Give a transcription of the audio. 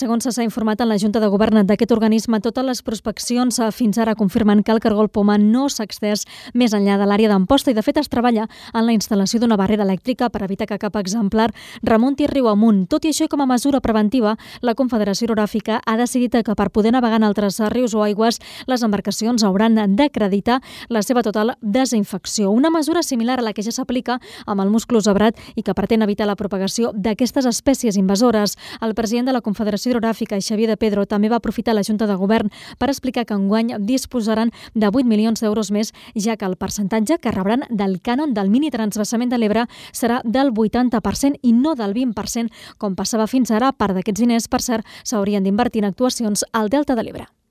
segons s'ha informat en la Junta de Govern d'aquest organisme, totes les prospeccions fins ara confirmen que el cargol poma no s'ha extès més enllà de l'àrea d'Amposta i, de fet, es treballa en la instal·lació d'una barrera elèctrica per evitar que cap exemplar remunti riu amunt. Tot i això, com a mesura preventiva, la Confederació Hidrogràfica ha decidit que per poder navegar en altres rius o aigües, les embarcacions hauran d'acreditar la seva total desinfecció. Una mesura similar a la que ja s'aplica amb el musclo zebrat i que pretén evitar la propagació d'aquestes espècies invasores. El president de la Confederació Hidrogràfica, Xavier de Pedro, també va aprofitar la Junta de Govern per explicar que enguany disposaran de 8 milions d'euros més, ja que el percentatge que rebran del cànon del mini-transvasament de l'Ebre serà del 80% i no del 20%, com passava fins ara. Part d'aquests diners, per cert, s'haurien d'invertir en actuacions al Delta de l'Ebre.